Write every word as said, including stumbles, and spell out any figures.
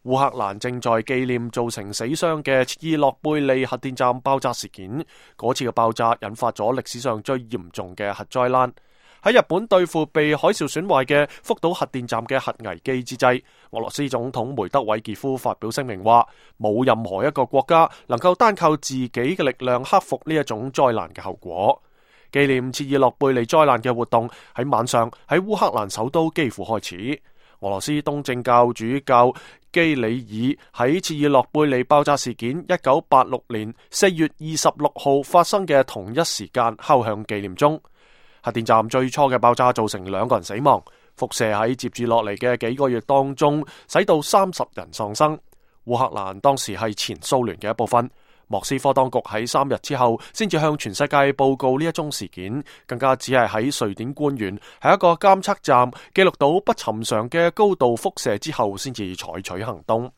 烏克蘭正在紀念造成死傷嘅切爾諾貝利核電站爆炸事件，嗰次嘅爆炸引發咗歷史上最嚴重嘅核災難。喺日本對付被海嘯損壞嘅福島核電站嘅核危機之際，俄羅斯總統梅德韋傑夫發表聲明話，冇任何一個國家能夠單靠自己嘅力量克服呢一種災難嘅後果。紀念切爾諾貝利災難嘅活動喺晚上喺烏克蘭首都基輔開始。俄羅斯東正教主教基里爾喺切爾諾貝利爆炸事件一九八六年四月二十六號發生嘅同一時間敲響紀念鐘。核電站最初嘅爆炸造成兩個人死亡，輻射喺接住落嚟嘅幾個月當中，使到三十人喪生。烏克蘭當時係前蘇聯嘅一部分。莫斯科當局喺三日之後先至向全世界報告呢一宗事件，更加只係喺瑞典官員喺一個監測站記錄到不尋常嘅高度輻射之後，先至採取行動。